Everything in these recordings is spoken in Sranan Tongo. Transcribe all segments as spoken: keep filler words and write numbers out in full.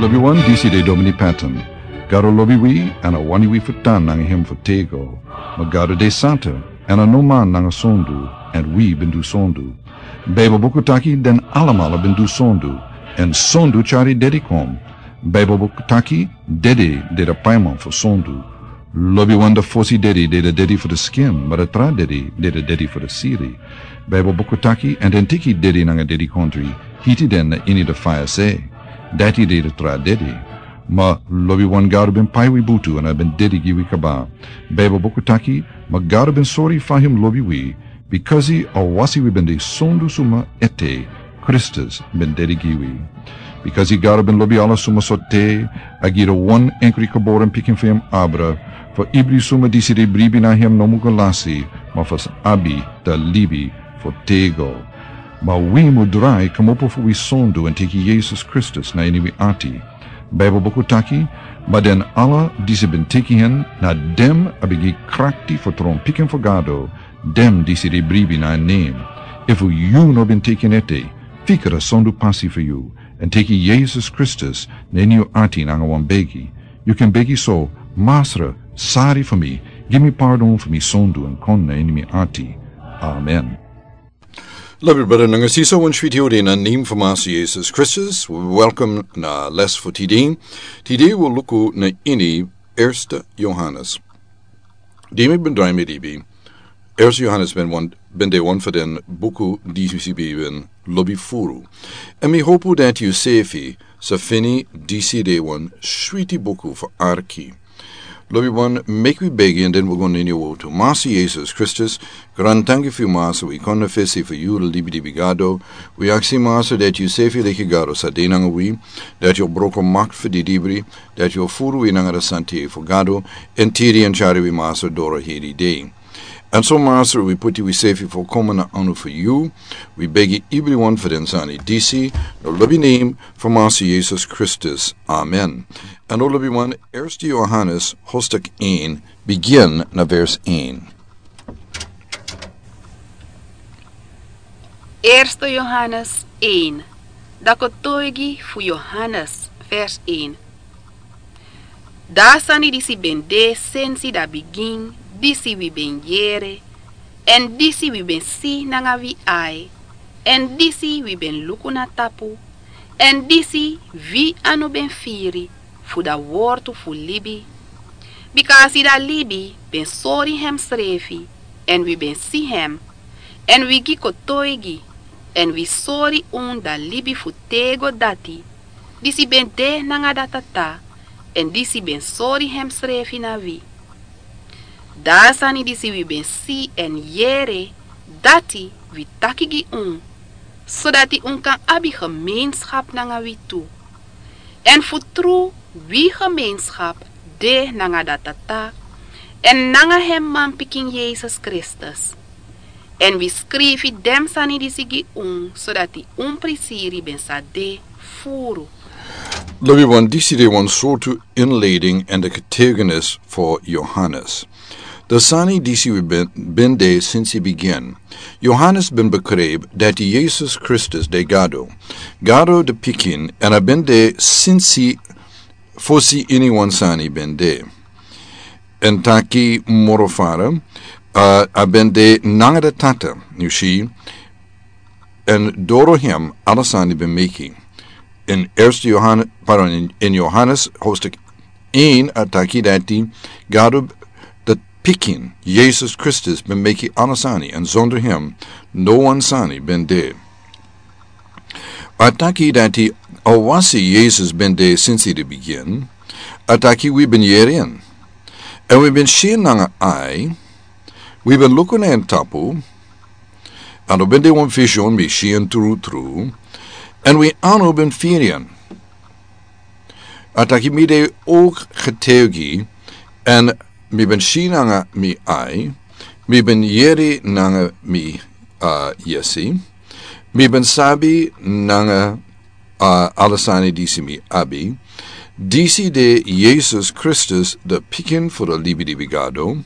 Wi wan disi de Domini Patton. Gado lobi wi, èn a wani wi fu tan nanga hem fu tego. Ma Gado de santa, èn a no man nanga sondu, èn wi ben du sondu. Baibel buku taki den alamala ben du sondu, èn sondu tyari dedi kon. Baibel buku taki dedi de de paiman fu sondu. Lobiwan de fosi dedi de de dedi fu de skin, ma de tra dedi de de dedi fu de siri. Baibel buku taki, èn den teki dedi nanga dedikontri, hiti den na ini de faya se. Dati de de tra dedi. Ma lobiwan Gado ben pai wi butu èn a ben dedi gi wi kaba. Baibel buku taki, ma Gado ben sori fa hem lobi wi, bikasi a wasi wi ben de sondu suma ete, Kristus ben dedi gi wi. Bikasi Gado ben lobi ala suma so te, a gi de wan enkri geboren pikin fu hem abra, fu ibri suma disi de bribi na hem no mu go lasi, ma fu abi de libi fu tego. Ma wi mu drai kmopo fu wi sondu èn teki Yesus Kristus na ini wi ati. Baibel buku taki, ma den ala disi ben teki hen, na dem a ben gi krakti fu tron pikin fu Gado, dem disi de bribi na en nen. Efu yu no ben teki en ete, fika a sondu pasi fu yu, èn teki Yesus Kristus na ini yu ati nanga wan begi. Yu kan begi so, Masra, sari fu mi, gi mi pardon fu mi sondu èn kon na ini mi ati. Amen. Lobi brada nanga sisa, wan switi odi na nen fu Masra Yesus Kristus. Welkom na les fu tide. Tide wi luku na ini Erste Yohanes. Di mi ben drai mi libi. Erste Yohanes ben wan, ben de wan fu den buku disi mi ben lobi furu. Èn mi hopu dati yu sefi sa feni disi de wan switi buku fu arki. Lobiwan, meki wi begi èn den wi go na ini yu wotu. Masra Yesus Kristus, grantanki fu yu Masra, wi kon na fesi fu yu, de libi libi Gado. Wi aksi Masra dati yu sefi leki Gado sa de nanga wi, dati yu o broko makti fu didibri, dati yu o furu wi nanga de santa yeye fu Gado, èn tiri èn tyari wi Masra doro heri dei. Èn so Masra, wi puti wi sefi fu kon na anu fu yu, wi begi ibriwan fu den sani disi, na lobi nen fu Masra Yesus Kristus. Amen. Èn lobiwan, Erste Yohanes hostek een, bigin na vers een. Erste Yohanes een, de kotoigi fu Yohanes, vers een. Dan a sani disi ben de sensi a bigin, disi wi ben yere, èn disi wi ben si nanga wi ai, èn disi wi ben luku na tapu, èn disi wi anu ben firi, fu a wortu fu libi. Bikasi a libi ben sori hemsrefi, èn wi ben si hem, èn wi gi kotoigi, èn wi sori unu a libi fu tego dati, disi ben de nanga a Tata, èn disi ben sori hemsrefi na wi. Dan a sani disi wi ben si èn yere, dati wi taki gi unu, sodati unu kan abi gemeenschap nanga wi tu. Èn fu tru, wi gemeenschap de nanga a Tata, èn nanga hem manpikin Yesus Kristus. Èn wi skrifi den sani disi gi unu, sodati un prisiri ben sa de furu. Lobiwan, disi de wan sortu inleiding èn de getuigenis fu Yohanes. De sani disi wi ben, ben de sensi bigin. Yohanes ben bekrijp dati Yesus Kristus de Gado. Gado de pikin, èn a ben de sensi fosi iniwan sani ben de. Èn taki moro fara, a, a ben de nanga a Tata, yu si, èn doro hem ala sani ben meki. In Erste Yohanes, pardon, in, in Yohanes hostek een a taki dati Gado de pikin, Yesus Kristus, ben meki ala sani, èn zonder hem no wan sani ben de. A taki dati a wasi Yesus ben de sensi de bigin, a taki wi ben yere en. Èn wi ben si en nanga ai, wi ben luku na en tapu, èn a ben de wan vision, mi si en tru tru, èn wi anu ben firi en. A taki mi de ook getuigi, èn mi ben si nanga mi ai, mi ben yere nanga mi, a, yesi, mi ben sabi nanga, a, ala sani disi mi abi, disi de Yesus Kristus de pikin fu de libi libi Gado,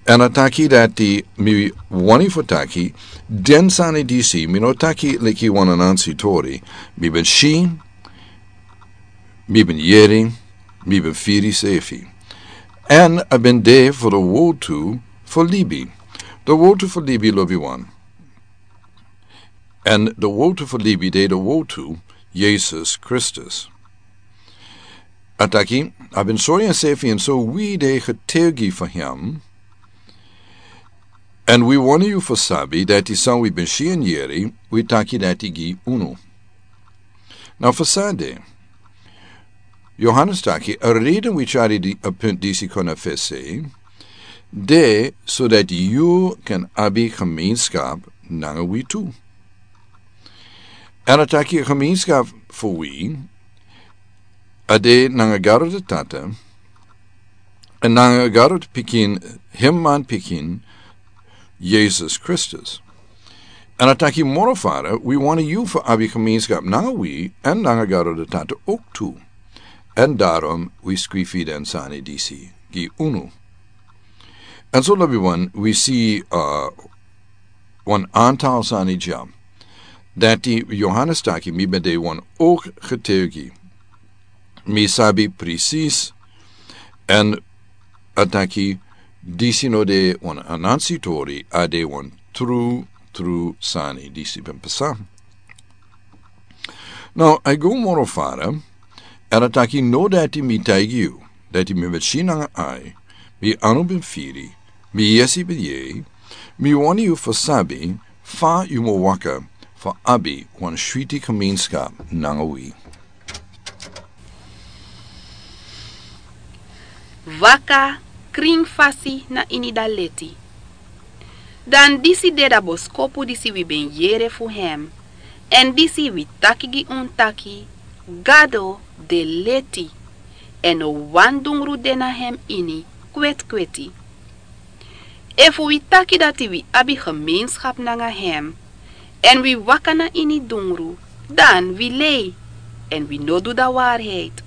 èn a taki dati mi wani fu taki, den sani disi, mi no taki leki wan anansi tori, mi ben si, Mi ben yeri, mi ben firi sefi. Èn a ben de fu de wotu fu libi. De wotu fu libi, lobi wan. Èn de wotu fu libi de de wotu, Yesus Kristus. A taki, a ben sori ensefi, èn so wi de getuigi fu hem. Èn wi wani yu fu sabi dati san wi ben si èn yeri, wi taki dati gi unu. Now fu san de, Yohanes taki, a reden wi tyari di, a punt disi kon na fesi, de so dati yu kan abi gemeenskap nanga wi tu. Èn a taki gemeenskap fu wi, a de nanga Gado de Tata, èn nanga Gado de Pikin, hem man Pikin, Yesus Kristus. Èn a taki moro fara, wi wani yu fu abi gemeenskap nanga wi, èn nanga Gado de Tata ook tu. Èn daarom wi skrifi den sani disi gi unu. Èn so lobi wan, wi si, uh, wan aantal sani dya. Dati Yohanes taki mi ben de wan ook getuigi. Mi sabi precies. Èn a taki disi no de wan anansi tori, a de wan tru, tru sani. Disi ben pasa. Now, a go moro fara, èn a taki no dati mi taigi yu, dati mi ben si nanga ai, mi anu ben firi, mi yesi ben yei, mi wani yu fu sabi, fa yu mu waka, fu abi wan switi gemeenskap nanga wi. Waka krin fasi na ini da leti. Dan disi de da boskopu disi wi ben yere fu hem, èn disi wi taki gi un taki, Gado de leti, èn no wan dungru de na hem ini kwetkweti. Efu wi taki dati wi abi gemeenskap nanga hem, èn wi waka na ini dungru, dan wi lei, èn wi no du da waarheid.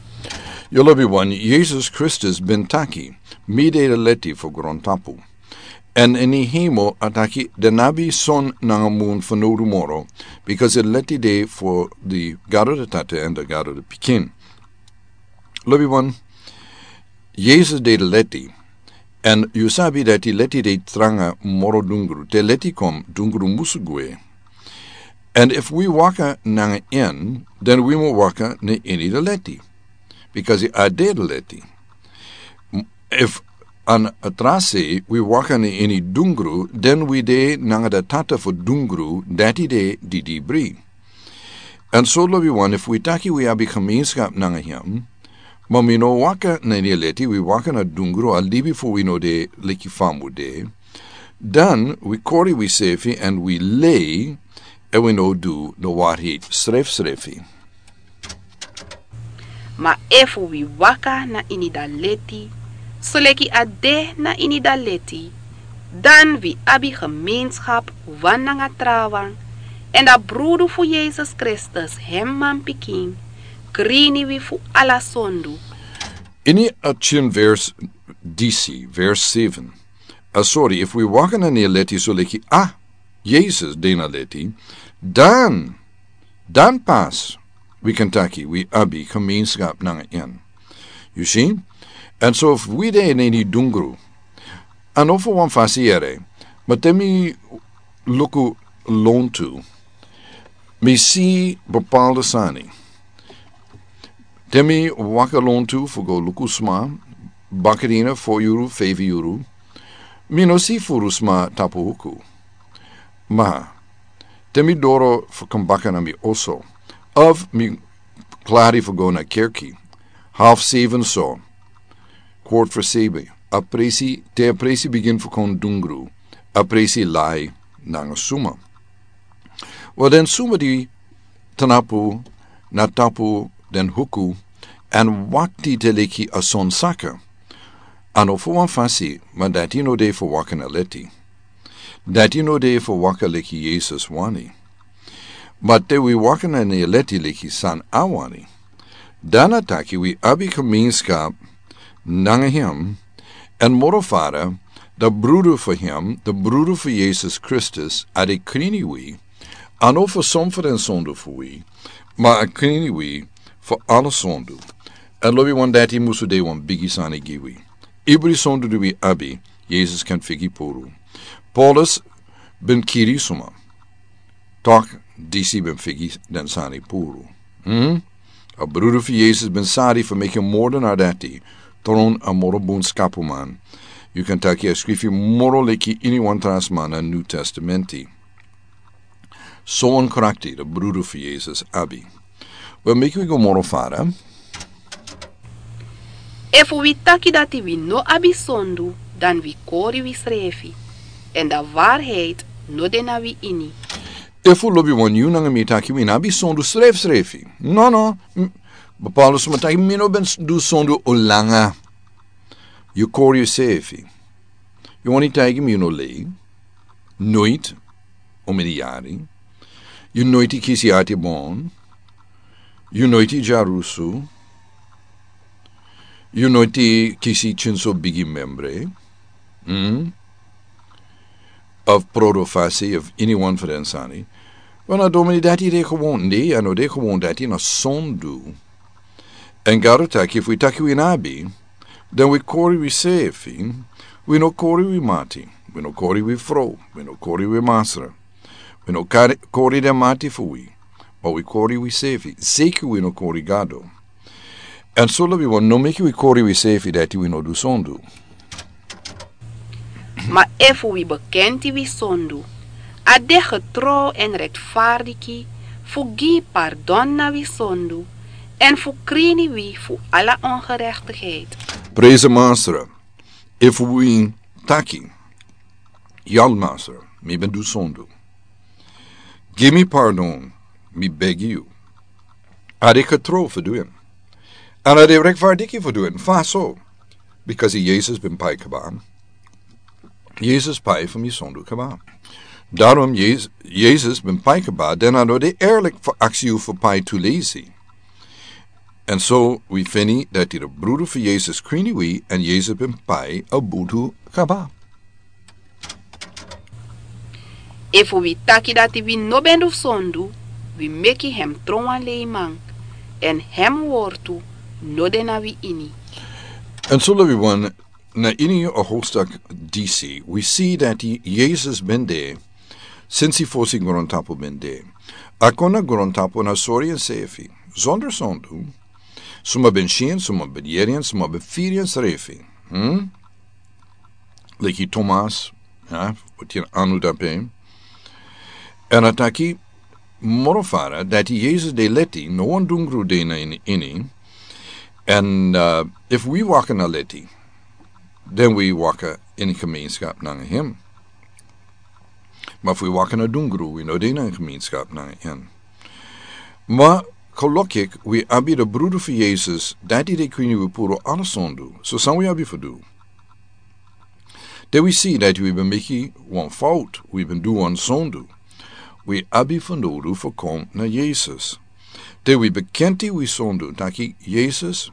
Yu lobi wan, Yesus Kristus ben taki, mi de de leti fu grontapu. Èn ini hemel a taki den no abi son nanga mun fanowdu moro, because de leti de fu di Gado de Tata èn di Gado de Pikin. Lobi wan, Yesus de de leti, èn yu sabi dati leti de tranga moro dungru, te leti kon dungru musu gwe. Èn efu wi waka nanga en, dan wi mu waka na ini de leti. Because a de de leti. Efu a no trasi wi waka na ini dungru, dan wi de nanga de tata fu dungru, dati de didibri. Èn so lobi wan, efu wi taki wi abi gemeenskap nanga hem, ma wi no waka na ini leti, wi waka na dungru, a libi fu wi no de leki fa a mu de, dan wi kori wisefi èn wi lei, èn wi no du de waarheid srefsrefi. Ma efu wi waka na ini da leti, soleki a de na ini da leti, dan wi abi gemeenskap wan nanga trawan, èn da brudu fu Yesus Kristus, hem manpikin, krini wi fu ala sondu. Ini a tien vers disi, vers seven. A sori, efu wi waka na ini leti soleki a Yesus de na leti, dan, dan pas wi kan taki wi abi gemeenskap nanga en. Yu si? Èn so efu wi de na ini dungru, a no fu wan fasi yere, ma te mi luku lontu, mi si bepaalde sani. Te mi waka lontu fu go luku sma, bakadina, fo yuru, feifi yuru, mi no si furu sma tapu huku. Ma te mi doro fu kon baka na mi oso, of mi klari fu go na kerki, half seven so, kwart fu seven, a presi, te a presi bigin fu kon dungru, a presi lai nanga suma. Wel, den suma di tnapu na tapu den huku, èn wakti te leki a son saka. A no fu wan fasi, ma dati no de fu waka na leti. Dati no de fu waka leki Yesus wani. Ma te wi waka na ini leti leki san a wani, dan a taki wi abi gemeenskap nanga hem, èn moro fara, da brudu fu hem, da brudu fu Yesus Kristus, a de krini wi, a no fu son fu den sondu fu wi, ma a krini wi fu ala sondu. A lobi wan dati musu de wan bigi sani gi wi. Ibri sondu di wi abi, Yesus kan figi puru. Paulus ben kiri suma. Tok disi ben figi den sani puru. Hmm? A brudu fu Yesus ben sari fu meki moro na dati. Tron a moro bun skapu man. Yu kan taki a skrifi moro leki ini wan trans man na New Testamenti. So wan krakti da brudu fu Yesus abi. Wel, meki wi go moro fara. Efu wi taki dati wi no abi sondu, dan wi kori wi srefi. En da waarheid no de na wi ini. Efu lobi wan yu nanga mi taki wi no abi sondu srefi srefi. No, no. Bepaalde suma taki mi no ben du sondu olanga. Yu kori yu sefi. Yu wani taki mi yu no lei. Noit. Omeni yari. Yu noiti kisi ati bon. Yu noiti jarusu. Yu noiti kisi chinso bigi membre. Hmm? Of prodo fasi of ini wan fu den sani. Wan a domini dati de gewon de, a no de gewon dati na sondu. En Gado taki fu taki wi nabi, dan wi kori wi sefi, wi no kori wi mati, wi no kori wi fro, wi no kori wi masra. Wi no kori den mati fu wi, ma wi kori wi sefi, seki wi no kori Gado. En so lobi wan no meki wi kori wi sefi dati wi no du sondu. Ma efu wi bekenti wi sondu, a de getrouw en rechtvaardig fu gi pardon na wi sondu, en fu krini wi fu ala ongerechtigheid. Prijs de Masra, efu wi taki, yal Masra, mi ben du sondu. Gi mi pardon, mi begi yu. A de getrouw fu du en. En a de rechtvaardig fu du en, fa so. Because Yesus ben pai kaba. Yesus pai fu mi sondu kaba. Daarom Yesus, Yesus ben pai kaba, dan a no de eerlijk fu aksi yu fu pai tu lesi. En so wi feni dati de brudu fu Yesus krini wi, en Yesus ben pai a budu kaba. Efu wi taki dati wi no ben du sondu, wi meki hem tron wan leiman, en hem wortu no de na wi ini. En so lobi wan na ini a hoofdstuk disi, wi si dati Yesus ben de, sinsi fosi grontapu ben de. A kon na grontapu na sori ensefi, zonder sondu, suma ben si en, suma ben yeri en, suma ben firi ensrefi. Hmm? Leki Thomas, ya, fu tin anu dape. En a taki moro fara dati Yesus de leti, no wan dungru de na ini, ini. En, uh, efu wi waka na leti, dan wi waka in gemeenschap nanga hem. Ma fu wi waka na dungru, wi no de na gemeenschap nanga hem. Ma gelukkig wi abi de brudu fu Yesus, dati de krini wi puru ala sondu. So san wi abi fu du. Te wi si dati wi ben meki wan fout, wi ben du wan sondu. Wi abi fu nodu fu kon na Yesus. Te wi bekenti wi sondu, taki Yesus,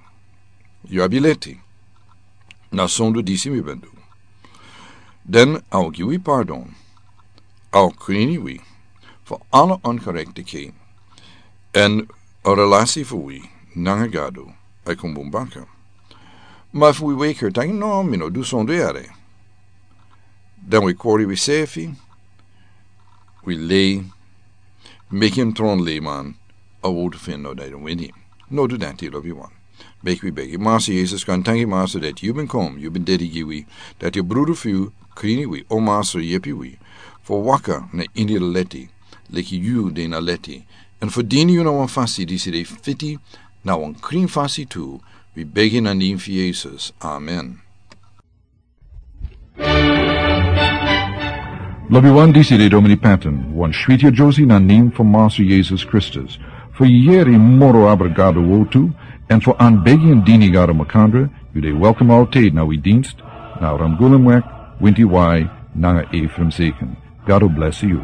yu abi leti. Na sondu disi mi ben du. Dan a o gi wi pardon. A o krini wi fu ala ongerechtigheid. En a relasi fu wi nanga Gado a kon bun baka. Ma fu wi weki taki no, mi no du sondu yere. Dan wi kori wi sefi, wi lei, meki en tron leiman, a wortu fu en no de na wi ini. No du dati lobi wan. Meki wi begi. Masra Yesus, wi danki yu Masra dati yu ben kon, yu ben dede gi wi, dati a brudu fu yu krini wi, o Masra yepi wi fu waka na ini leti, leki yu de na leti. En fu dini yu na wan fasi disi de fiti, na wan krin fasi tu, wi begi na nen fu Yesus. Amen. Lobi wan, disi de Domini Patton, wan switi a Josie na nen fu Masra Yesus Kristus. Fu yeri moro abra Gado wortu, en fu anbegi en dini Gado makandra, yu de welkom altijd na wi dienst, na Ramgulumweg, Winti Wai, nanga Ephraim Zeken. Gado bless yu.